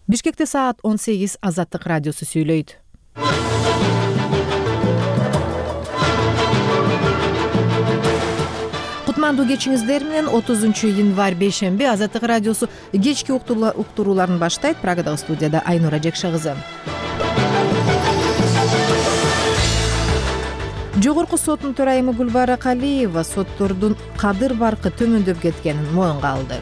Бишкекте саат 18 Азаттык радиосу сүйлөйт. Кутмандуу кечиңиздер менен 30-январь бейшемби Азаттык радиосу кечки уктурууларын баштайт. Прагадагы студияда Айнура Жекше кызы. Жогорку соттун төрайымы Гүлбара Калиева соттордун кадыр баркы төмөндөп кеткенин моюнга алды.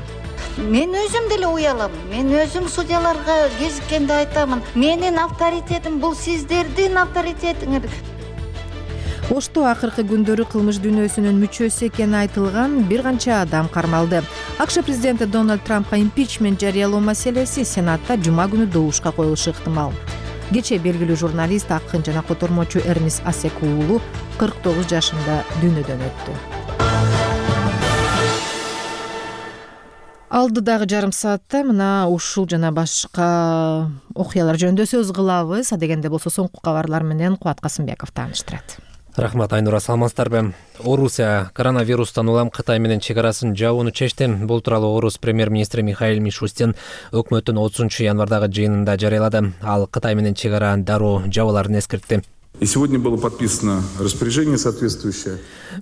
Мен өзүм деле уялам. Мен өзүм судьяларга кезиккенде айтамын. Менин авторитетим бул сиздердин авторитетиңер. Ошто акыркы күндөрү кылмыш дүйнөсүнүн мүчөсү экени айтылган бир канча адам кармалды. АКШ президенти Дональд Трампка импичмент жарыялоо маселеси Сенатта жума күнү добушка коюлушу ыктымал. Кечээ белгилүү журналист, акын жана котормочу Эрнест Асек уулу 49 жашында дүйнөдөн өттү. Алдыдагы жарым саатта мына ушул жана башка окуялар жөнүндө сөз кылабыз. Адегенде болсо соңку кабарлар менен Кубат Касымбеков тааныштырат. Рахмат, Айнура, саламатсыздарбы? Орусия коронавирустан улам Кытай менен чек арасын жабууну чечти. Бул тууралуу Орус премьер-министри Михаил Мишустин өкмөттүн 30-январдагы жыйынында жарыялады. Ал Кытай менен чек ара дароо жабууларын эскертти. И сегодня было подписано распоряжение соответствующее.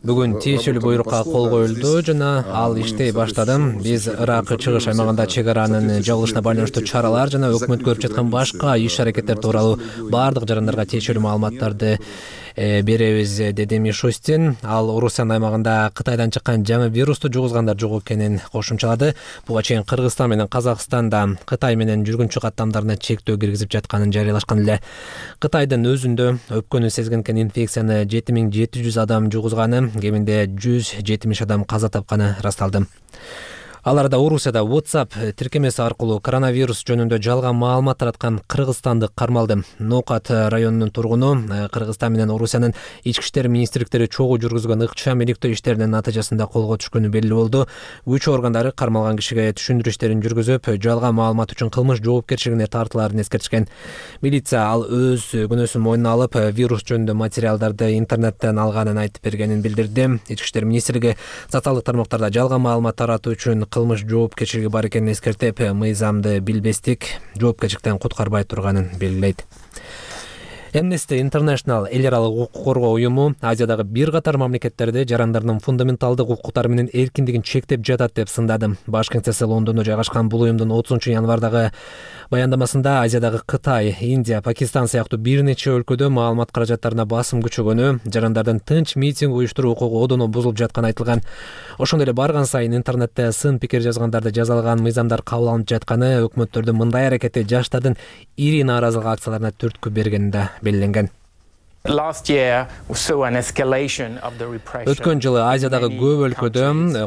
Бүгүн тиешелүү буйрукка кол коюлду жана ал иштей баштады. Биз Ирак чыгыш аймагында чек аранын жабылышына байланыштуу чаралар жана өкмөт көрүп жаткан башка иш-аракеттер тууралуу баардык жарандарга тиешелүү маалыматтарды беребиз, деди Мишустин. Ал Орусиянын аймагында Кытайдан чыккан жаңы вирусту жугузгандар жок экенин кошумчалады. Буга чейин Кыргызстан менен Казакстанда Кытай менен жүргүнчү каттамдарына чектөө киргизип жатканын жарыялашкан эле. Кытайдын өзүндө өпкөнү сезгенкен инфекцияны 7700 адам жугузганы, кеминде 170 адам каза тапканы ырасталды. Аларда Орусияда WhatsApp тиркемеси аркылуу коронавирус жөнүндө жалган маалымат тараткан кыргызстандык кармалды. Нокат районунун тургуну Кыргызстан менен Орусиянын ички иштер министрликтери чогуу жүргүзгөн ыкчам иликтөө иштеринин натыйжасында колго түшкөнү белгилүү болду. Күч органдары кармалган кишиге түшүндүрүү иштерин жүргүзүп, жалган маалымат үчүн кылмыш жоопкерчилигине тартылаарын эскертишкен. Милиция ал өз күнөөсүн мойнуна алып, вирус жөнүндө материалдарды интернеттен алганын айтып бергенин билдирди. Ички иштер министрлиги социалдык тармактарда жалган маалымат таратуу үчүн кылмыш жоопкерчилиги бар экенин эскертип, мыйзамды билбестик жоопкерчиликтен куткарбай турганын белгилейт. Amnesty International эл аралык укук коргоо уюму Азиядагы бир катар мамлекеттерде жарандардын фундаменталдык укуктары менен эркиндигин чектеп жатат деп сындады. Баш кеңсеси Лондондо жайгашкан бул уюмдун 30-январдагы баяндамасында Азиядагы Кытай, Индия, Пакистан сыяктуу бир нече өлкөдө маалымат каражаттарына басым күчөгөнү, жарандардын тынч митинг уюштуруу укугу одоно бузулуп жатканы айтылган. Ошондой эле барган сайын интернетте сын пикир жазгандарды жазалган мыйзамдар кабыл алынып жатканы, өкмөттөрдүн мындай аракети жаштардын ири нааразылык акцияларына түрткү бергени да белгиленген. Өткөн жылы Азиядагы көп өлкөдө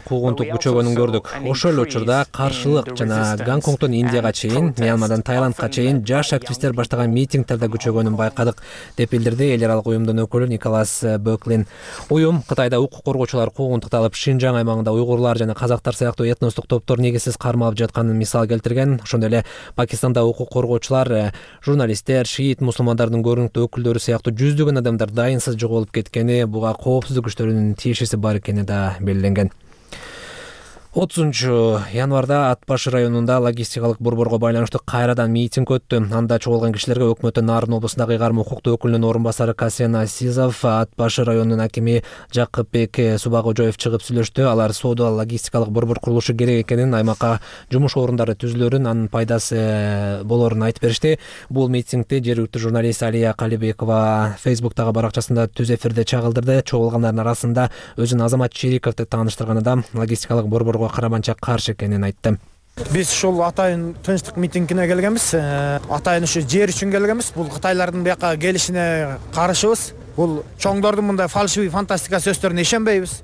куугунтук күчөгөнүн көрдүк. Ошол эле учурда каршылык жана Гонконгдон Индияга чейин, Мьянмадан Таиландка чейин жаш активисттер баштаган митингдерде күчөгөнүн байкадык, деп билдирди эл аралык уюмдун өкүлү Николас Бөклин. Уюм Кытайда укук коргоочулар куугунтукталып, Шинжаң аймагында уйгурлар жана казактар сыяктуу этностук топтор негизсиз кармалып жатканын мисал келтирген. Ошондой эле Пакистанда укук коргоочулар, журналисттер, шиит мусулмандардын көрүнүктүү өкүлдөрү сыяктуу жүздөгөн адамдар дайынсыз жоголуп кеткени, буга коопсуздук күчтөрүнүн тиешеси бар экени да белгиленген. 30-январда Ат башы районунда логистикалык борборго байланыштуу кайрадан митинг өттү. Анда чогулган кишилерге өкмөттүн Нарын облусундагы ыйгарым укуктуу өкүлүнүн орун басары Касен Асизов, Ат башы районунун акими Жакыпбек Субагожоев чыгып сүйлөштү. Алар соода логистикалык борбор курулушу керек экенин, аймакка жумуш орундары түзүлөрүн, анын пайдасы болорун айтып беришти. Бул митингди жергиликтүү журналист Алия Калибекова Facebook'тагы баракчасында түз эфирде чагылдырды. Чогулгандардын арасында өзүн Азамат Чериковду тааныштырганы да логистикалык борборго караманча каршы экенин айтты. Биз ушул атайын тынчтык митингине келгенбиз. Атайын ушу жер үчүн келгенбиз. Бул кытайлардын бияка келишине каршыбыз. Бул чоңдордун мындай фальшивый фантастика сөздөрүнө ишенбейбиз,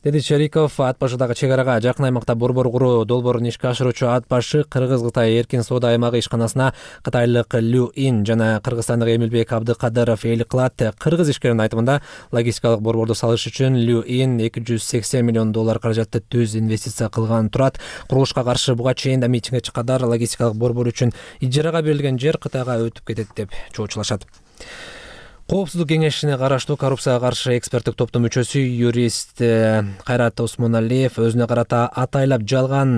деди Чериков. Ат башыдагы чек арага жакын аймакта борбор куруу долбоорун ишке ашыруучу Ат башы Кыргыз-Кытай эркин соода аймагы ишканасына кытайлык Лю Ин жана кыргызстандык Эмилбек Абдыкадыров ээлик кылат. Кыргыз ишкеринин айтымында логистикалык борборду салыш үчүн Лю Ин $280 миллион каражатты түз инвестиция кылган турат. Курулушка каршы буга чейин да митингге чыккандар логистикалык борбор үчүн ижарага берилген жер Кытайга өтүп кетет деп чоочулашат. Коопсуздук кеңешине караштуу коррупцияга каршы эксперттик топтун мүчөсү юрист Кайрат Осмоналиев өзүнө карата атайлап жалган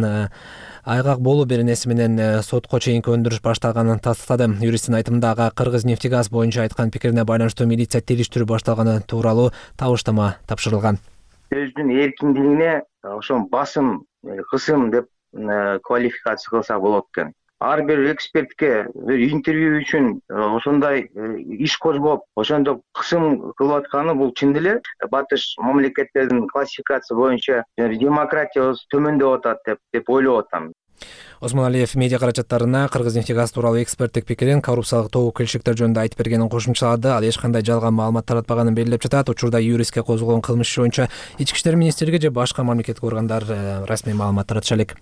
айгак болуу беренеси менен сотко чейинки өндүрүш башталганын тастыктады. Юристтин айтымында ага Кыргыз-Нефтегаз боюнча айткан пикирине байланыштуу милиция териштирүү башталганы тууралуу табыштама тапшырылган. Сөздүн эркиндигине ошо басым, кысым деп квалификация кылса болот экен. Ар бир экспертке бир интервью үчүн ошондой иш козгоп, ошондой кысым кылып атканы бул чын деле батыш мамлекеттердин классификация боюнча демократиябыз төмөндөп атат деп ойлоп атам. Осмон Алиев медиа каражаттарына Кыргыз-Нефтегаз тууралуу эксперттик пикирин коррупциялык тобу келишектер жөнүндө айтып бергенин кошумчалады. Ал эч кандай жалган маалымат таратпаганын белгилеп жатат. Учурда юристке козголгон кылмыш иши боюнча Ички иштер министрлиги же башка мамлекеттик органдар расмий маалымат таратыша элек.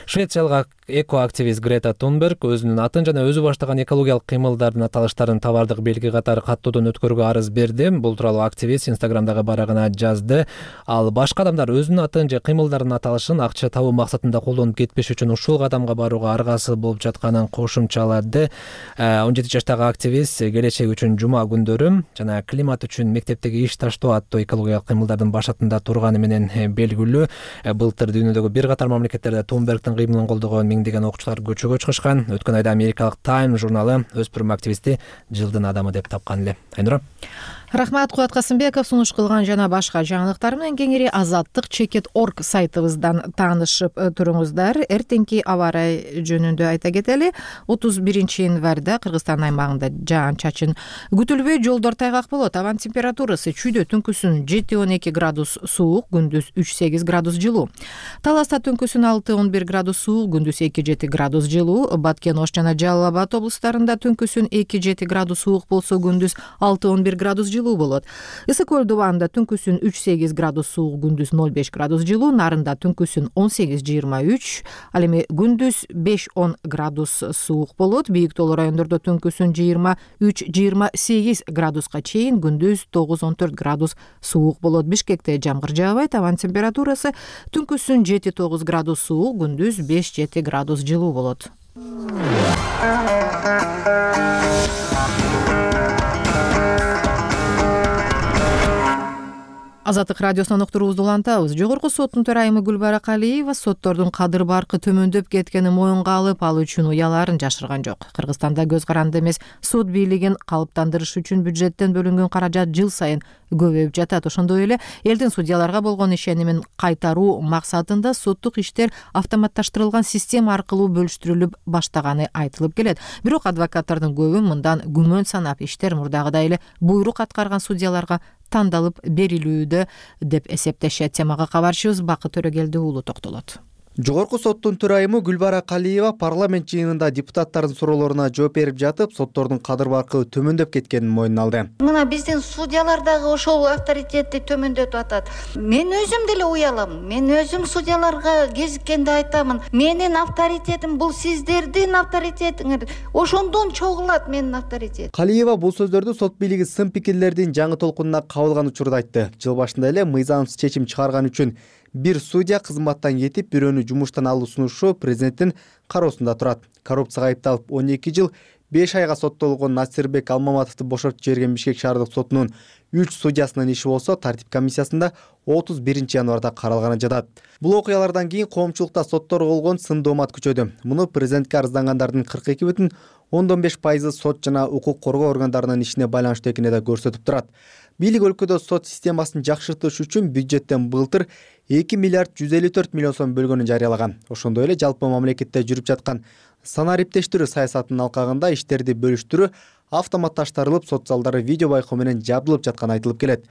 Швециялык экоактивист Грета Тунберг өзүнүн атын жана өзү баштаган экологиялык кыймылдардын аталыштарын товардык белги катары каттоодон өткөрүүгө арыз берди. Бул тууралуу активист Инстаграмдагы барагына жазды. Ал башка адамдар өзүнүн атын же кыймылдардын аталышын акча табуу максатында колдонуп кетпеш үчүн ушул кадамга барууга аргасыз болуп жатканын кошумчалады. 17 жаштагы активист келечек үчүн жума күндөрү жана климат үчүн мектептеги иш таштоо аттуу экологиялык кыймылдардын башатында турганы менен белгилүү. Былтыр дүйнөдөгү бир катар мамлекеттерде Тунбергдин кыймылын колдогон миңдеген окуучулар көчөгө чыгышкан. Өткөн айда америкалык Time журналы өспүрүм активистти жылдын адамы деп тапкан эле. Айнура. Рахмат, Кубат Касымбеков. Сунуш кылган жана башка жаңылыктар менен кеңири azаттык.org сайтыбыздан таанышып туруңуздар. Эртеңки аба ырайы жөнүндө айта кетели. 31 январда Кыргызстан аймагында жаан-чачын күтүлбөй, жолдор тайгак болот. Абан температурасы чүйдө түнкүсүн 7-12 градус суук, күндүз 3-8 градус жылуу. Таласта түнкүсүн 6-11 градус суук, күндүз 2-7 градус жылуу. Баткен, Ош жана Жалал Абад облустарында түнкүсүн 2-7 градус суук болсо, күндүз 6-11 градус жылуу болот. Ысык көл дубанында түнкүсүн 3-8 градус суук, күндүз 0-5 градус жылуу. Нарында түнкүсүн 18-23, ал эми күндүз 5-10 градус суук болот. Бийик тоолуу райондордо түнкүсүн 23-28 градуска чейин, күндүз 9-14 градус суук болот. Бишкекте жамгыр жаабайт. Абан температурасы түнкүсүн 7-9 градус суук, күндүз 5-7 градус жылуу болот. Азаттык радиосунан уктуруубузду улантабыз. Жогорку соттун төрайымы Гүлбара Калиева соттордун кадыр баркы төмөндөп кеткенин моюнга алып, ал үчүн уяларын жашырган жок. Кыргызстанда көз каранды эмес сот бийлигин калыптандырыш үчүн бюджеттен бөлүнгөн каражат жыл сайын көбөйүп жатат. Ошондой эле элдин судьяларга болгон ишенимин кайтаруу максатында соттук иштер автоматташтырылган система аркылуу бөлүштүрүлүп баштаганы айтылып келет. Бирок адвокаттардын көбү мындан күмөн санап, иштер мурдагыдай эле буйрук аткарган судьяларга тандалып берилүүдө деп эсептешет. Темага кабарчыбыз Бакыт Төрөгелди уулу токтолот. Жогорку соттун төрайымы Гүлбара Калиева парламент жыйынында депутаттардын суроолоруна жооп берип жатып, соттордун кадыр баркы төмөндөп кеткенин мойнуна алды. Мына биздин судьялар дагы ошол авторитетти төмөндөтүп атат. Мен өзүм деле уялам. Мен өзүм судьяларга кезиккенде айтамын. Менин авторитетим бул сиздердин авторитетиңер. Ошондон чогулат менин авторитетим. Калиева бул сөздөрдү сот бийлиги сын пикирлердин жаңы толкунуна кабылган учурда айтты. Жыл башында эле мыйзамсыз чечим чыгарган үчүн бир судья кызматтан кетип, бирөөнү жумуштан алуу сунушу президенттин кароосунда турат. Коррупцияга айыпталып 12 жыл 5 айга соттолгон Насирбек Алмаматовду бошотуп жиберген Бишкек шаардык сотунун 3 судьясынын иши болсо тартип комиссиясында 31 январда каралганы жатат. Бул окуялардан кийин коомчулукта соттор болгон сын доомат күчөдү. Муну президентке арыздангандардын 42,5% сот жана укук коргоо органдарынын ишине байланыштуу экени да көрсөтүп турат. Бийлик өлкөдө сот системасын жакшыртыш үчүн бюджеттен былтыр 2 миллиард 154 миллион сом бөлгөнүн жарыялаган. Ошондой эле жалпы мамлекетте жүрүп жаткан санариптештирүү саясатынын алкагында иштерди бөлүштүрүү автоматташтырылып, сот залдары видео байкоо менен жабдылып жатканы айтылып келет.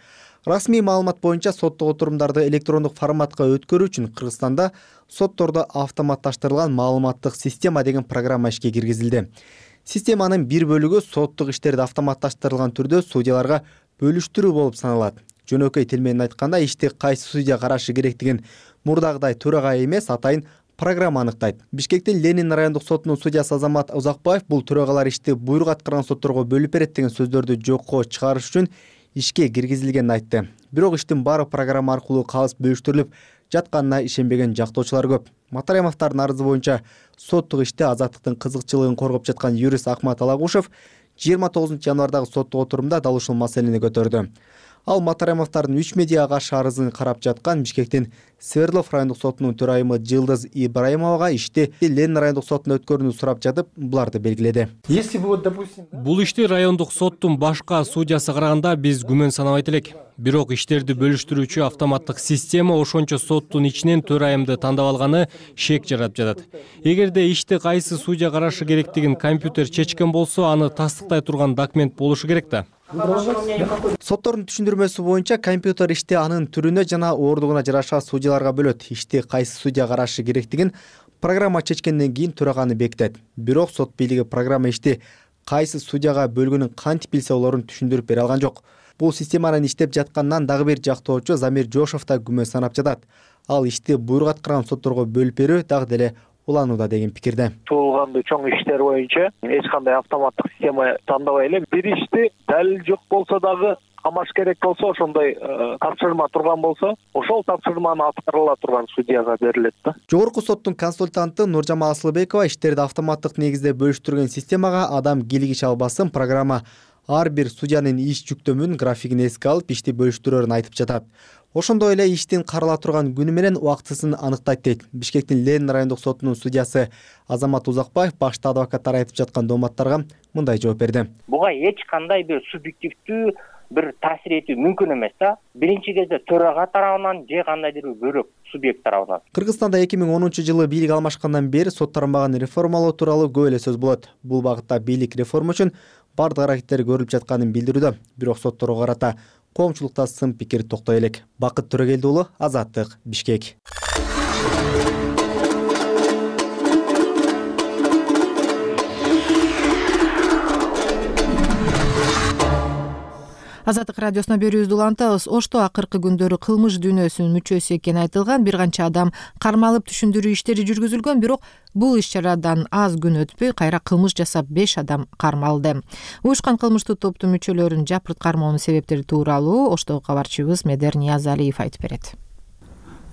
Расмий маалымат боюнча соттук отурумдарды электрондук форматка өткөрүү үчүн Кыргызстанда соттордо автоматташтырылган маалыматтык система деген программа ишке киргизилди. Системанын бир бөлүгү соттук иштерди автоматташтырылган түрдө судьяларга бөлүштүрүү болуп саналат. Жөнөкөй тил менен айтканда, ишти кайсы судья карашы керектигин мурдагыдай төрагай эмес, атайын программа аныктайт. Бишкектин Ленин райондук сотунун судьясы Азамат Узакбаев бул төрагалар ишти буйрук аткарган сотторго бөлүп берет деген сөздөрдү жокко чыгарыш үчүн ишке киргизилгенин айтты. Бирок иштин баары программа аркылуу калыс бөлүштүрүлүп жатканына ишенбеген жактоочулар көп. Матаремовдордун арызы боюнча соттук иште азаттыктын кызыкчылыгын коргоп жаткан юрист Акмат Алагушев 29 январдагы соттук отурумда дал ушул маселени көтөрдү. Ал Матаремовдордун 3 медиага каршы арызын карап жаткан Бишкектин Свердлов райондук сотунун төрайымы Жылдыз Ибраимовага ишти Ленин райондук сотуна өткөрүүнү сурап жатып, буларды белгиледи. Бул ишти райондук соттун башка судьясы караганда биз күмөн санабайт элек. Бирок иштерди бөлүштүрүүчү автоматтык система ошончо соттун ичинен төрайымды тандап алганы шек жаратып жатат. Эгерде ишти кайсы судья карашы керектигин компьютер чечкен болсо, аны тастыктай турган документ болушу керек да. Соттордун түшүндүрмөсү боюнча компьютер ишти анын түрүнө жана оордугуна жараша судьяларга бөлөт. Ишти кайсы судья карашы керектигин программа чечкенден кийин төраганы бекитет. Бирок сот бийлиги программа ишти кайсы судьяга бөлгөнүн кантип билсе олорун түшүндүрүп бере алган жок. Бул системанын иштеп жатканынан дагы бир жактоочу Замир Жошов да күмөн санап жатат. Ал ишти буйрук аткарган сотторго бөлүп берүү дагы деле уланууда деген пикирде. Туулгандуу чоң иштер боюнча эч кандай автоматтык система тандабай эле бир ишти далил жок болсо дагы камаш керек болсо, ошондой тапшырма турган болсо, ошол тапшырманы аткарыла турган судьяга берилет да. Жогорку соттун консультанты Нуржамал Асылбекова иштерди автоматтык негизде бөлүштүргөн системага адам кийлигише албасын, программа ар бир судьянын иш жүктөмүн графигин эске алып ишти бөлүштүрөрүн айтып жатат. Ошондой эле иштин карала турган күнү менен убактысын аныктайт дейт. Бишкектин Ленин райондук сотунун судьясы Азамат Узакбаев башта адвокаттар айтып жаткан дооматтарга мындай жооп берди. Буга эч кандай бир субъективдүү бир таасир этүү мүмкүн эмес да. Биринчи кезде төрага тарабынан же кандайдыр бир бөлөк субъект тарабынан. Кыргызстанда 2010-жылы бийлик алмашкандан бери сот тармагын реформалоо тууралуу көп эле сөз болот. Бул багытта бийлик реформа үчүн бардык аракеттер көрүлүп жатканын билдирүүдө. Бирок сотторго карата коомчулукта сын пикир токтой элек. Бакыт Төрөгелди уулу, Азаттык, Бишкек. Азаттык радиосуна берүүбүздү улантабыз. Ошто акыркы күндөрү кылмыш дүйнөсүнүн мүчөсү экени айтылган бир канча адам кармалып түшүндүрүү иштери жүргүзүлгөн, бирок бул иш-чарадан аз күн өтпөй кайра кылмыш жасап 5 адам кармалды. Уюшкан кылмыштуу топтун мүчөлөрүн жапырт кармоонун себептери тууралуу Оштогу кабарчыбыз Медер Ниязалиев айтып берет.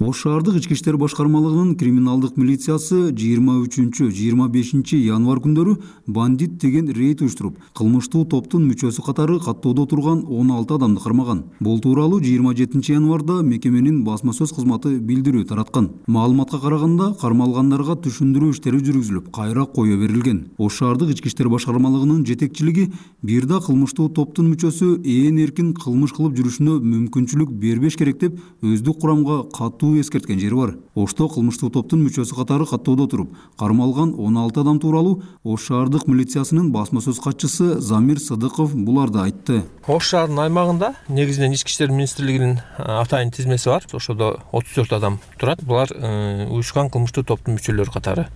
Ош шаардык ички иштер башкармалыгынын криминалдык милициясы 23-25 январь күндөрү бандит деген рейд уюштуруп, кылмыштуу топтун мүчөсү катары каттоодо турган 16 адамды кармаган. Бул тууралуу 27 январда мекеменин басма сөз кызматы билдирүү тараткан. Маалыматка караганда, кармалгандарга түшүндүрүү иштери жүргүзүлүп, кайра кое берилген. Ош шаардык ички иштер башкармалыгынын жетекчилиги бир да кылмыштуу топтун мүчөсү ээн эркин кылмыш кылып жүрүшүнө мүмкүнчүлүк бербеш керек деп өздүк курамга катуу эскерткен жери бар. Ошто кылмыштуу топтун мүчөсү катары каттоодо туруп, кармалган 16 адам тууралуу Ош шаардык милициясынын басма сөз катчысы Замир Сыдыков буларды айтты. Ош шаарынын аймагында негизинен ички иштер министрлигинин атайын тизмеси бар. Ошодо 34 адам турат. Булар уюшкан кылмыштуу топтун мүчөлөрү катары.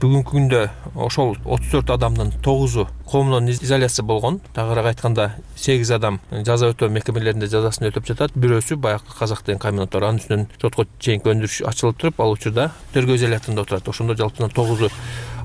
Бүгүнкү күндө ошол 34 адамдын 9-у коомдон изоляция болгон. Тагыраак айтканда 8 адам жаза өтөө мекемелеринде жазасын өтөп жатат. Бирөөсү баягы Казак деген комбинаттар, анын үстүнөн сотко чейинки өндүрүш ачылып туруп, ал учурда тергөө изоляторунда отурат. Ошондо жалпысынан 9-у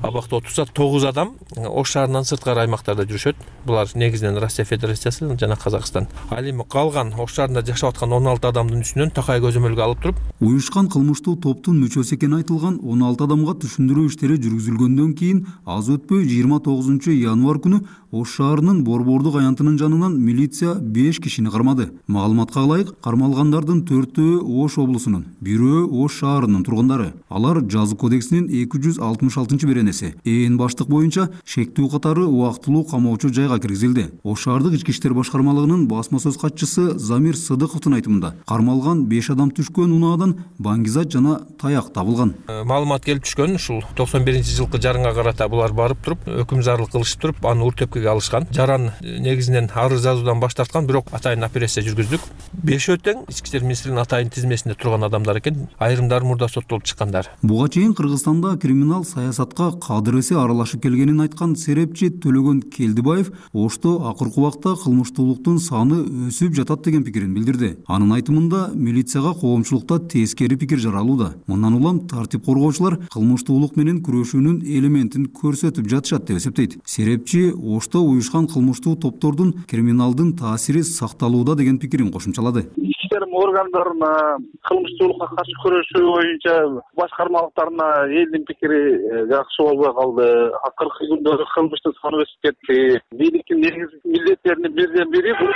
абакта отурса, 9 адам Ош шаарынан сырткары аймактарда жүрүшөт. Булар негизинен Россия Федерациясы жана Казакстан. Ал эми калган Ош шаарында жашап аткан 16 адамдын үстүнөн такай көзөмөлгө алып туруп, уюшкан кылмыштуу топтун мүчөсү экени айтылган 16 адамга түшүндүрүү иштери жүргүзүлгөндөн кийин аз өтпөй 29 январь күнү Ош шаарынын Борбордук аянтынын жанынан милиция 5 кишини кармады. Маалыматка ылайык, кармалгандардын 4-өө Ош облусунун, 1-өө Ош шаарынын тургундары. Алар жаза кодексинин 266-беренеси ээн баштык боюнча шектүү катары убактылуу камоочу жайга киргизилди. Ош шаардык ички иштер башкармалыгынын басма сөз катчысы Замир Сыдыковдун айтымында, кармалган 5 адам түшкөн унаадан баңгизат жана таяк табылган. Маалымат келип түшкөн, ушул 91-жылкы жаранга карата булар барып туруп, өкүм зарлык кылышып туруп, аны уртепкеге алышкан. Жаран негизинен арыз жазуудан баш тарткан, бирок атайын операция жүргүздүк. 5 тең ички иштер министрлигинин атайын тизмесинде турган адамдар экен. Айрымдары мурда соттолуп чыккандар. Буга чейин Кыргызстанда криминал саясатка кадыр эсе аралашып келгенин айткан серепчи Төлөгөн Келдибаев Ошто акыркы убакта кылмыштуулуктун саны өсүп жатат деген пикирин билдирди. Анын айтымында милицияга коомчулукта тескери пикир жаралууда. Мындан улам тартип коргоочулар кылмыштуулук менен күрөшүүнүн элементин көрсөтүп жатышат деп эсептейт. Серепчи Ошто уюшкан кылмыштуу топтордун криминалдын таасири сакталууда деген пикирин кошумчалады. Ички иштер мыйзам органдарына, кылмыштуулукка каршы күрөшүү боюнча башкармалыктарына элдин пикири жакшы болбой калды. Акыркы күндөрү кылмыштын саны өсүп кетти. Бийликтин негизги милдеттеринин бирден бири бул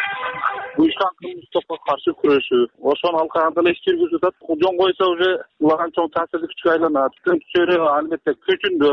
уюшкан кылмыштыкка каршы күрөшүү. Ошону алкаганда эле иш жүргүзүп атат. Жон койсо уже буларга чоң таасирлүү күчкө айланат. Күчтөрү албетте күчүндө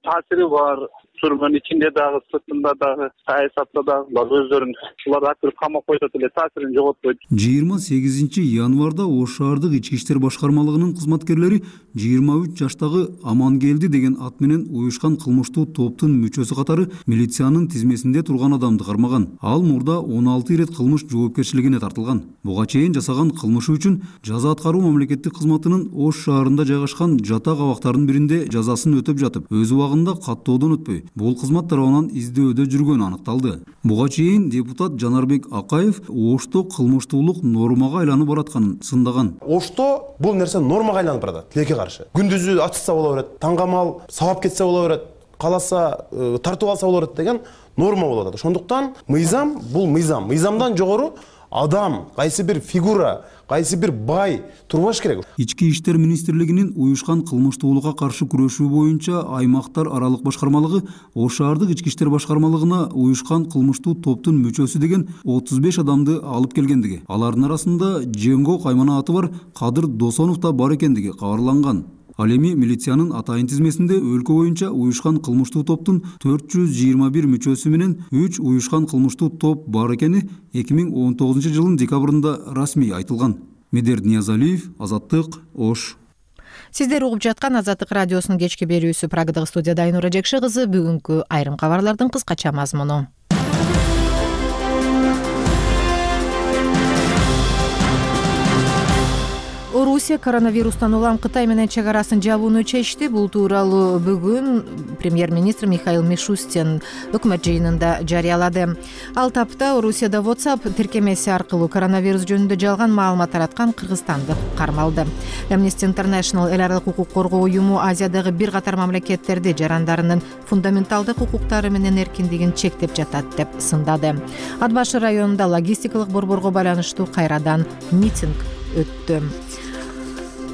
таасири бар. Түрмөнүн ичинде дагы, сыртында дагы, саясатта дагы булар өздөрүн атып камап коюп эле таасирин жоготпойт. 28 январда Ош шаардык ички иштер башкармалыгынын кызматкерлери 23 жаштагы Амангелди деген ат менен уюшкан кылмыштуу топтун мүчөсү катары милициянын тизмесинде турган адамды кармаган. Ал мурда 16 ирет кылмыш жоопкерчилигине тартылган. Буга чейин жасаган кылмышы үчүн жаза аткаруу мамлекеттик кызматынын Ош шаарында жайгашкан жатак абактарынын биринде жазасын өтөп жатып, өз убагында каттоодон өтпөй бул кызмат тарабынан издөөдө жүргөнү аныкталды. Буга чейин депутат Жанарбек Акаев Ошто кылмыштуулук нормага айланып баратканын сындаган. Ошто бул нерсе нормага айланып барат, тилекке каршы. Күндүзү ачса боло берет, таңгамал сабап кетсе боло берет, каласа тартып алса боло берет деген норма болуп атат. Ошондуктан мыйзам бул мыйзам. Мыйзамдан жогору адам, кайсы бир фигура, кайсы бир бай турбаш керек. Ички иштер министрлигинин уюшкан кылмыштуулукка каршы күрөшүү боюнча аймактар аралык башкармалыгы Ош шаардык ички иштер башкармалыгына уюшкан кылмыштуу топтун мүчөсү деген 35 адамды алып келгендиги, алардын арасында Жеңго каймана аты бар Кадыр Досонов да бар экендиги кабарланган. Ал эми милициянын атайын тизмесинде өлкө боюнча уюшкан кылмыштуу топтун 421 мүчөсү менен 3 уюшкан кылмыштуу топ бар экени 2019 жылдын декабрында расмий айтылган. Медер Ниязалиев, Азаттык, Ош. Сиздер угуп жаткан Азаттык радиосунун кечки берүүсү. Прагадагы студияда Айнура Жекши кызы. Бүгүнкү айрым кабарлардын кыскача мазмуну. Орусия коронавирустан улам Кытай менен чек арасын жабууну чечти. Бул тууралуу бүгүн премьер-министр Михаил Мишустин өкмөт жыйынында жарыялады. Ал тапта Орусияда WhatsApp тиркемеси аркылуу коронавирус жөнүндө жалган маалымат тараткан кыргызстанды кармалды. Amnesty International эл аралык укук коргоо уюму Азиядагы бир катар мамлекеттерди жарандарынын фундаменталдык укуктары менен эркиндигин чектеп жатат деп сындады. Ат башы районунда логистикалык борборго байланыштуу кайрадан митинг өттү.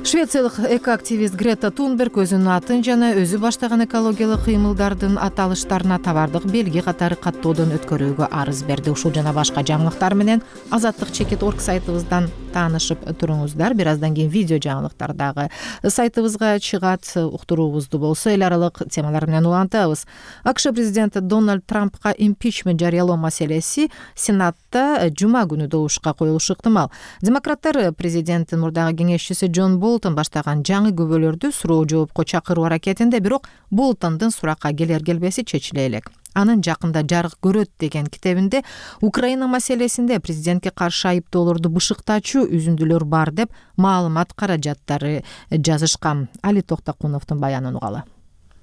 Швециялык экоактивист Грета Тунберг өзүнүн атын жана өзү баштаган экологиялык кыймылдардын аталыштарына товардык белги катары каттоодон өткөрүүгө арыз берди. Ушул жана башка жаңылыктар менен Азаттык.org сайтыбыздан таанышып туруңуздар. Бир аздан кийин видео жаңылыктар дагы сайтыбызга чыгат. Уктуруубузду болсо эл аралык темалар менен улантабыз. АКШ президенти Дональд Трампка импичмент жарыялоо маселеси Сенатта жума күнү добушка коюлушу ыктымал. Демократтар президенттин мурдагы кеңешчиси Джон Болтон баштаган жаңы күбөлөрдү суроо жоопко чакыруу аракетинде, бирок Болтондун суракка келер келбеси чечиле элек. Анын жакында жарык көрөт деген китебинде Украина маселесинде президентке каршы айыптоолорду бышыктачу үзүндүлөр бар деп маалымат каражаттары жазышкан. Али Токтокуновдун баянын угалы.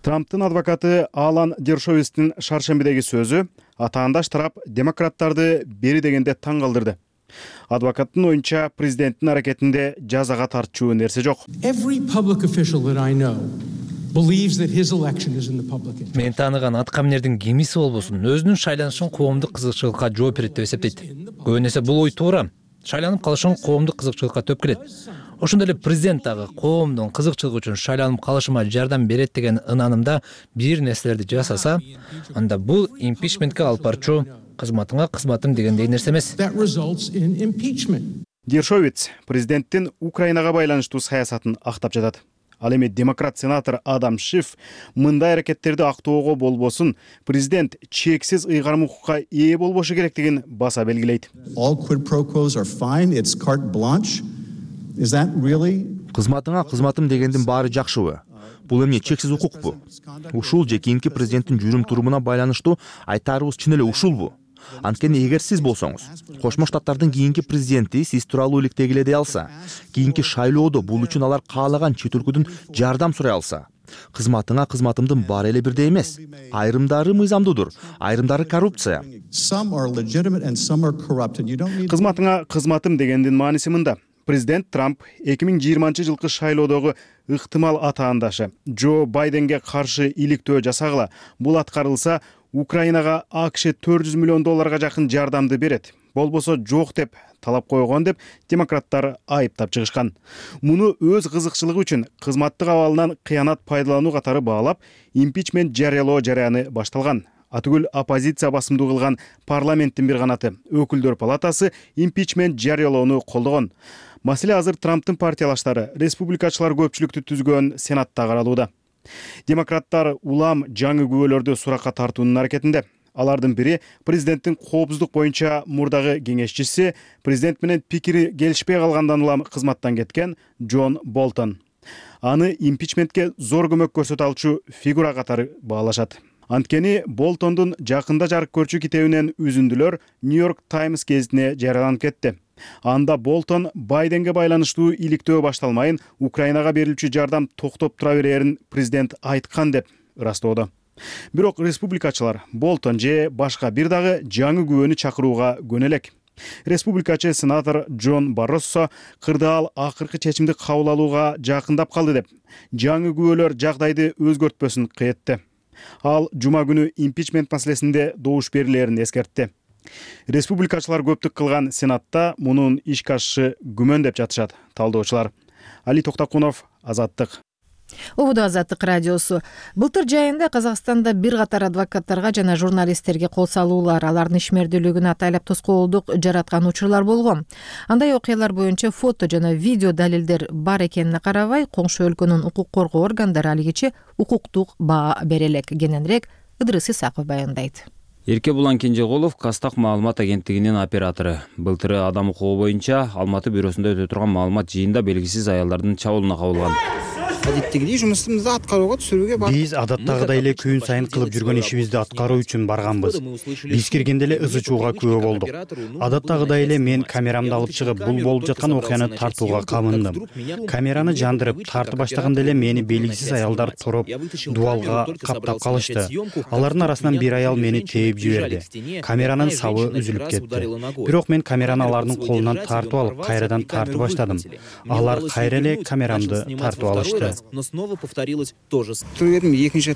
Трамптын адвокаты Алан Дершовистин шаршембидеги сөзү атаандаш тарап демократтарды бери дегенде таң калтырды. Адвокаттын оюнча президенттин аракетинде жазага тартчу нерсе жок. Мен тааныган аткаминердин кимиси болбосун өзүнүн шайланышын коомдук кызыкчылыкка жооп берет деп эсептейт. Көбүнесе бул ой туура. Шайланып калышың коомдук кызыкчылыкка төп келет. Ошондой эле президент дагы коомдун кызыкчылыгы үчүн шайланып калышыма жардам берет деген ынанымда бир нерселерди жасаса, анда бул импичментке алып барчу кызматыңа кызматым дегендей нерсе эмес. Дершовиц президенттин Украинага байланыштуу саясатын актап жатат. Ал эми демократ сенатор Адам Шиф мындай аракеттерди актоого болбосун президент чексиз ыйгарым укукка ээ болбошу керектигин баса белгилейт. Кызматыңа кызматым дегендин баары жакшыбы? Бул эмне чексиз укукпу? Ушул же кийинки президенттин жүрүм-турумуна байланыштуу айтаарыбыз чын эле ушулбу? Анткени эгер сиз болсоңуз, Кошмо Штаттардын кийинки президенти сиз тууралуу иликтегиле дей алса, кийинки шайлоодо бул үчүн алар каалаган чет өлкөдөн жардам сурай алса, кызматыңа кызматымдын баары эле бирдей эмес. Айрымдары мыйзамдуудур, айрымдары коррупция. Кызматыңа кызматым дегендин мааниси мында. Президент Трамп 2020 жылкы шайлоодогу ыктымал атаандашы Джо Байденге каршы иликтөө жасагыла. Бул аткарылса, Украинага АКШ $400 миллион жакын жардамды берет. болбосо жок деп талап койгон деп демократтар айыптап чыгышкан. Муну өз кызыкчылыгы үчүн кызматтык абалынан кыянат пайдалануу катары баалап, импичмент жарыялоо жараяны башталган. Атүгүл оппозиция басымдуу кылган парламенттин бир канаты өкүлдөр палатасы импичмент жарыялоону колдогон. Маселе азыр Трамптын партиялаштары республикачылар көпчүлүктү түзгөн Сенатта каралууда. Демократтар улам жаңы күбөлөрдү суракка тартуунун аракетинде. Алардын бири президенттин коопсуздук боюнча мурдагы кеңешчиси, президент менен пикири келишпей калгандан улам кызматтан кеткен Джон Болтон. Аны импичментке зор көмөк көрсөтө алчу фигура катары баалашат. Анткени Болтондун жакында жарык көрчү китебинен үзүндүлөр Нью-Йорк Таймс гезитине жарыяланып кетти. Анда Болтон Байденге байланыштуу иликтөө башталмайын Украинага берилчү жардам токтоп тура берерин президент айткан деп ырастоодо. Бирок республикачылар Болтон же башка бир дагы жаңы күбөнү чакырууга көнө элек. Республикачы сенатор Джон Барроссо кырдаал акыркы чечимди кабыл алууга жакындап калды деп, жаңы күбөлөр жагдайды өзгөртпөсүн кыйытты. Ал жума күнү импичмент маселесинде добуш берилерин эскертти. Республикачылар көптүк кылган Сенатта мунун ишке ашышы күмөн деп жатышат талдоочулар. Али Токтакунов, Азаттык. Убуду Азаттык радиосу. Былтыр жайында Казакстанда бир катар адвокаттарга жана журналисттерге кол салуулар, алардын ишмердүүлүгүн атайлап тоскоолдук жараткан учурлар болгон. Андай окуялар боюнча фото жана видео далилдер бар экенине карабай, коңшу өлкөнүн укук коргоо органдары алигиче укуктук баа бере элек. Кененирээк Ыдырыс Исаков баяндайт. Эрке Булан Кенжеголов Кастак маалымат агенттигинин оператору. Былтыры адам укугу боюнча Алматы бюросунда өтө турган маалымат жыйында белгисиз аялдардын чабуулуна кабылган. Адеттегидей жұмысымызды аткарууга түшүрүүгө бардык. Биз адаттагыдай эле күн сайын кылып жүргөн ишибизди аткаруу үчүн барганбыз. Биз киргенде эле ызы чууга күбө болдук. Адаттагыдай эле мен камерамды алып чыгып, бул болуп жаткан окуяны тартууга камындым. Камераны жандырып, тартып баштаганда эле мени белгисиз аялдар туруп, дубалга каптап калышты. Алардын арасынан бир аял мени тээп жиберди. Камеранын сабы үзүлүп кетти. Бирок мен камераны алардын колунан тартып алып, кайрадан тартып баштадым. Алар кайра эле камерамды тартып алышты. Но снова повторилось тоже. Турдум экинчи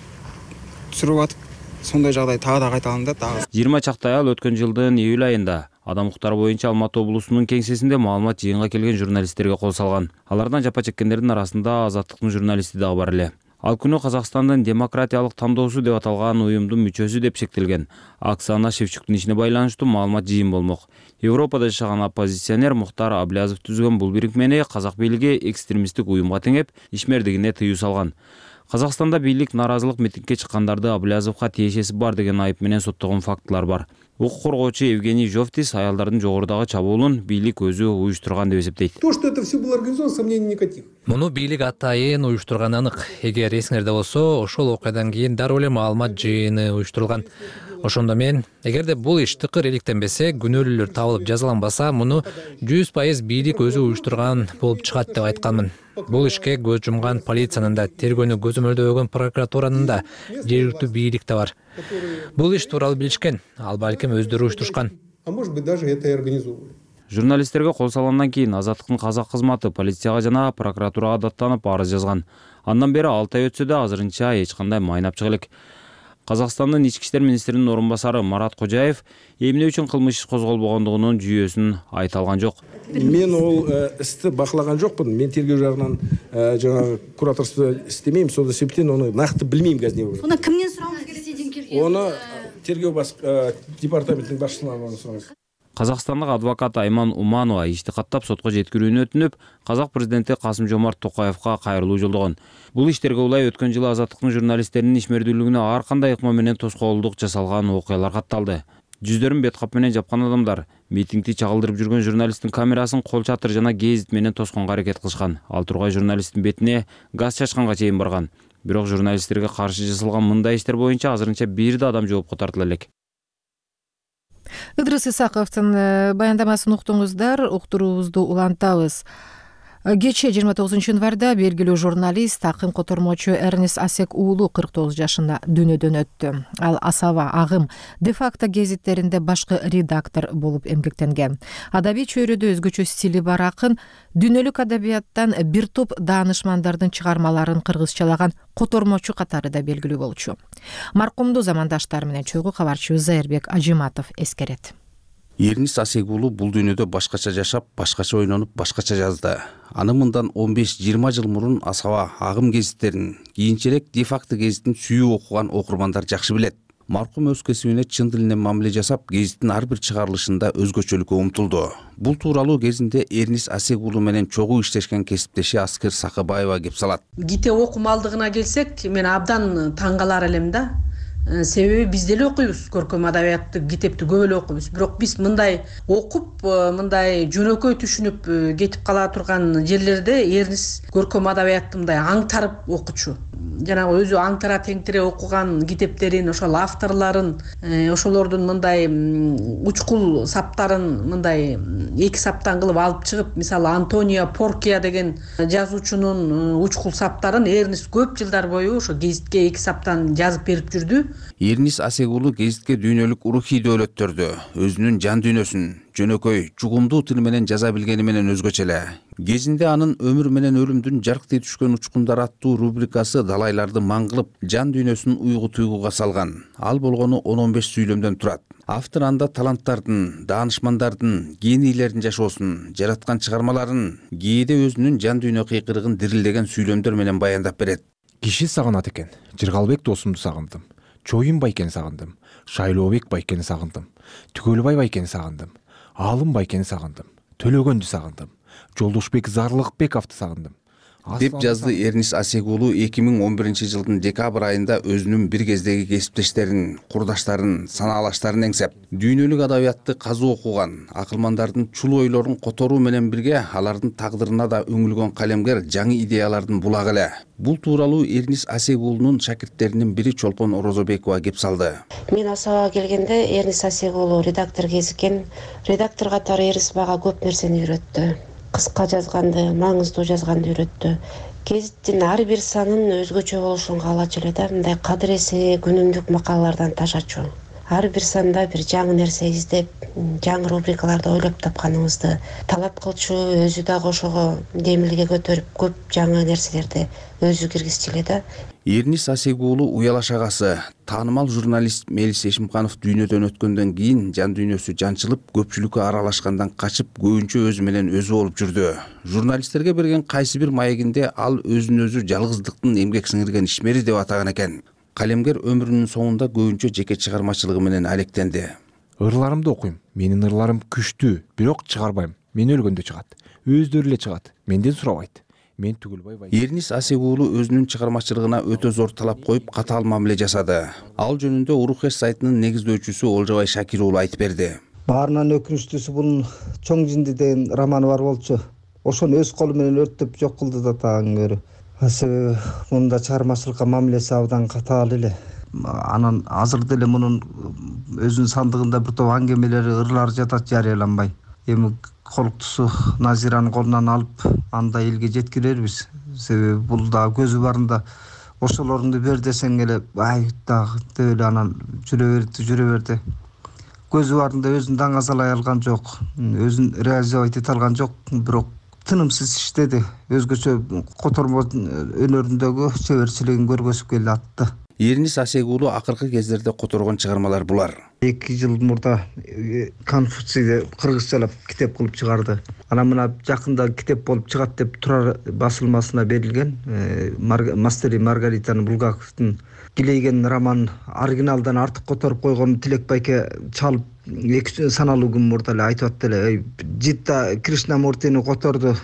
түшүрүп атып, сондай жагдай тагы да кайталанды дагы. 20 чакты аял өткөн жылдын июль айында адам укуктары боюнча Алматы облусунун кеңсесинде маалымат жыйынга келген журналисттерге кол салган. Алардан жапа чеккендердин арасында Азаттыктын журналисти дагы бар эле. Ал күнү Казакстандын демократиялык тандоосу деп аталган уюмдун мүчөсү деп шектелген Оксана Шевчуктун ишине байланыштуу маалымат жыйын болмок. Европада жашаган оппозиционер Мухтар Аблязов түзгөн бул бирикмени казак бийлиги экстремисттик уюмга теңеп, ишмердигине тыюу салган. Казакстанда бийлик наразылык митингге чыккандарды Аблязовго тиешеси бар деген айып менен соттогон фактылар бар. Укук коргоочу Евгений Жовтис аялдардын жогорудагы чабуулун бийлик өзү уюштурган деп эсептейт. То, что это все было организовано, сомнений никаких. Муну бийлик атайын уюштурганы анык. Эгер эсиңерде болсо, ошол окуядан кийин дароо эле маалымат жыйыны уюштурулган. Ошондо мен, эгерде бул иш тыкыр иликтенбесе, күнөөлүүлөр табылып жазаланбаса, муну 100% бийлик өзү уюштурган болуп чыгат деп айтканмын. Бул ишке көз жумган полициянын да, тергөөнү көзөмөлдөгөн прокуратуранын да, жергиликтүү бийлик да бар. Бул иш тууралуу билишкен, ал балким өздөрү уюштурушкан. А может быть, даже это и организовывали. Журналисттерге кол салгандан кийин Азаттыктын казак кызматы полицияга жана прокуратурага даттанып арыз жазган. Андан бери 6 ай өтсө да азырынча эч кандай майнап чыга элек. Казакстандын ички иштер министринин орун басары Марат Кожаев эмне үчүн кылмыш иш козголбогондугунун жүйөсүн айта алган жок. Мен ол исти бакылаган жокмун. Мен тергөө жагынан жана кураторство иштемейм, сол себептен аны накты билмейм казір. Оны кимден сурауңуз керек дейдин керек? Оны тергөө департаментинин башчыларынан сураңыз. Казакстандык адвокат Айман Уманова ишти каттап сотко жеткирүүнү өтүнүп, казак президенти Касым-Жомарт Токаевга кайрылуу жолдогон. Бул иштерге улай өткөн жылы Азаттыктын журналисттеринин ишмердүүлүгүнө ар кандай ыкма менен тоскоолдук жасалган окуялар катталды. Жүздөрүн бет кап менен жапкан адамдар митингди чагылдырып жүргөн журналисттин камерасын кол чатыр жана гезит менен тосконго аракет кылышкан. Ал тургай журналисттин бетине газ чачканга чейин барган. Бирок журналисттерге каршы жасалган мындай иштер боюнча азырынча бир да адам жоопко тартыла элек. Ыдырыс Исаковдун баяндамасын уктуңуздар, уктуруубузду улантабыз. Кечээ 29 январда белгилүү журналист, акын котормочу Эрнест Асек уулу 49 жашында дүйнөдөн өттү. Ал Асаба, Агым, де-факто гезиттеринде башкы редактор болуп эмгектенген. Адабий чөйрөдө өзгөчө стили бар акын дүйнөлүк адабияттан бир топ даанышмандардын чыгармаларын кыргызчалаган котормочу катары да белгилүү болчу. Маркумду замандаштары менен чогуу кабарчыбыз Зайырбек Ажиматов эскерет. Эрнис Асегулу бул дүйнөдө башкача жашап, башкача ойлонуп, башкача жазды. Аны мындан 15-20 жыл мурун Асаба агым гезиттерин, кийинчерээк де-факто гезитин сүйүп окуган окурмандар жакшы билет. Маркум өз кесибине чын тилинен мамиле жасап, гезиттин ар бир чыгарылышында өзгөчөлүккө умтулду. Бул тууралуу кезинде Эрнис Асегулу менен чогуу иштешкен кесиптеши Аскер Сакыбаева кеп салат. Китеп окумалдыгына келсек, мен абдан таң калар элем да. Себеби биз деле окуйбуз, көркөм адабиятты, китепти көп эле окуйбуз. Бирок биз мындай окуп, мындай жөнөкөй түшүнүп кетип кала турган жерлерде Эрнис көркөм адабиятты мындай аңтарып окучу. Жанагы өзү аңтара теңтире окуган китептерин, ошол авторлорун, ошолордун мындай учкул саптарын мындай эки саптан кылып алып чыгып, мисалы Антонио Поркия деген жазуучунун учкул саптарын Эрнис көп жылдар бою ошо гезитке эки саптан жазып берип жүрдү. Эрнис Асегулу гезитке дүйнөлүк урухий дөөлөттөрдү, өзүнүн жан дүйнөсүн жөнөкөй, чугумдуу тил менен жаза билгени менен өзгөчө эле. Кезинде анын өмүр менен өлүмдүн жарктый түшкөн учкундар аттуу рубрикасы далайларды маң кылып, жан дүйнөсүн уйгу туйгуга салган. Ал болгону 10-15 сүйлөмдөн турат. Автор анда таланттардын, даанышмандардын, генийлердин жашоосун, жараткан чыгармаларын, кээде өзүнүн жан дүйнө кыйкырыгын дирилдеген сүйлөмдөр менен баяндап берет. Киши сагынат экен. Жыргалбек досумду сагындым. Чоюн Байкени сагындым. Шайлообек Байкени сагындым. Түгөлбай Байкени сагындым. Алым Байкени сагындым. Төлөгөндү сагындым. Жолдошбек Зарлыкбековду сагындым. Деп жазды Эрнис Асегулу 2011 жылдын декабрь айында өзүнүн бир кездеги кесиптештерин, курдаштарын, санаалаштарын эңсеп, дүйнөлүк адабиятты казуу окуган, акылмандардын чулуу ойлорун которуу менен бирге алардын тагдырына да өңүлгөн калемгер жаңы идеялардын булагы эле. Бул тууралуу Эрнис Асегулунун шакирттеринин бири Чолпон Орозобекова кеп салды. Мен Асабага келгенде Эрнис Асегулу редактор кезиккен. Редактор катары Эрнис мага көп нерсени үйрөттү. Кыска жазганды, маңыздуу жазганды үйрөттү. Гезиттин ар бир санын өзгөчө болушун каалачу эле да, мындай кадыресе күнүмдүк макалалардан ташачу. Ар бир санда бир жаңы нерсе издеп, жаңы рубрикаларды ойлоп тапканыбызды талап кылчу, өзү дагы ошого демилге көтөрүп, көп жаңы нерселерди өзү киргизчү эле да. Эрнис Асегулу уялаш агасы, таанымал журналист Мелис Эшимканов дүйнөдөн өткөндөн кийин жан дүйнөсү жанчылып, көпчүлүккө аралашкандан качып, көбүнчө өзү менен өзү болуп жүрдү. Журналисттерге берген кайсы бир маегинде ал өзүн өзү жалгыздыктын эмгек сиңирген ишмери деп атаган экен. Калемгер өмүрүнүн соңунда көбүнчө жеке чыгармачылыгы менен алектенди. Ырларымды окуйм. Менин ырларым күчтүү, бирок чыгарбайм. Мен өлгөндө чыгат. Өздөрү эле чыгат. Менден сурабайт. Мен Түгөлбай. Эрнис Асегулу өзүнүн чыгармачылыгына өтө зор талап коюп, катаал мамиле жасады. Ал жөнүндө Урухэш сайтынын негиздөөчүсү Олжобай Шакир уулу айтып берди. Баарынан өкүнүчтүүсү бул Чоң жинди деген романы бар болчу. Ошону өз колу менен өрттөп жок кылды да тагы. Себеби мында чыгармачылыкка мамилеси абдан катаал эле. Анан азыр деле мунун өзүнүн сандыгында бир топ аңгемелери, ырлары жатат, жарыяланбай. Эми колуктусу Назиранын колунан алып, анда элге жеткирербиз. Себеби бул да көзү барында ошолорду бер десең эле, ай дагы деп эле анан жүрө берди. Көзү барында өзүн даңазалай алган жок, өзүн реализовать эте алган жок, бирок тынымсыз иштеди. Өзгөчө котормо өнөрүндөгү чеберчилигин көргөзүп келе атты. Эрнис Асегулу акыркы кездерде которгон чыгармалар булар. 2 жыл мурда Конфуцийди кыргызчалап китеп кылып чыгарды. Анан мына жакында китеп болуп чыгат деп Турар басылмасына берилген. Мастер и Маргаританын Булгаковдун Килейген роман оригиналдан артык которуп койгон Тилек Байке чалып 2 саналуу күн мурда эле айтып атты эле. Житта Кришнамуртини которду.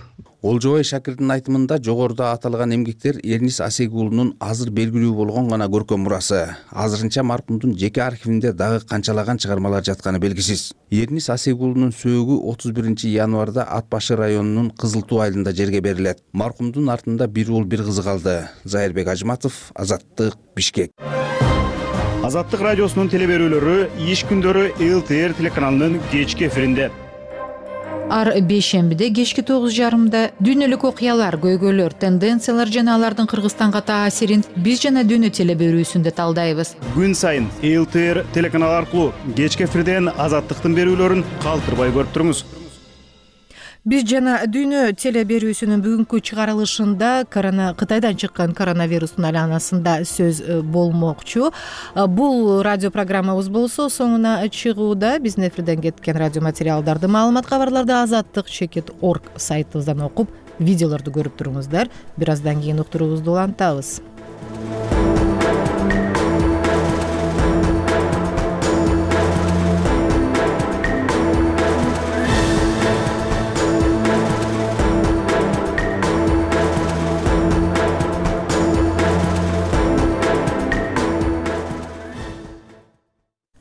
Олжобай Шакирдин айтымында жогоруда аталган эмгектер Эрнис Асегулунун азыр белгилүү болгон гана көркөм мурасы. Азырынча маркумдун жеке архивинде дагы канчалаган чыгармалар жатканы белгисиз. Эрнис Асегулунун сөөгү 31 январда Ат башы районунун Кызыл Туу айылында жерге берилет. Маркумдун артында бир уул бир кызы калды. Зайырбек Ажматов, Азаттык, Бишкек. Азаттык радиосунун телеберүүлөрү иш күндөрү ЛТР телеканалынын кечки эфиринде. Ар бейшембиде кечки 9:30 дүйнөлүк окуялар, көйгөйлөр, тенденциялар жана алардын Кыргызстанга таасирин биз жана дүйнө телеберүүсүндө талдайбыз. Күн сайын ЛТР телеканалы аркылуу кечки эфирден Азаттыктын берүүлөрүн калтырбай көрүп туруңуз. Биз жана дүйнө теле берүүсүнүн бүгүнкү чыгарылышында Кытайдан чыккан коронавирустун айланасында сөз болмокчу. Бул радио программабыз болсо соңуна чыгууда. Биздин эфирден кеткен радио материалдарды, маалымат, кабарларды azattik.org сайтыбыздан окуп, видеолорду көрүп туруңуздар. Бир аздан кийин уктуруубузду улантабыз.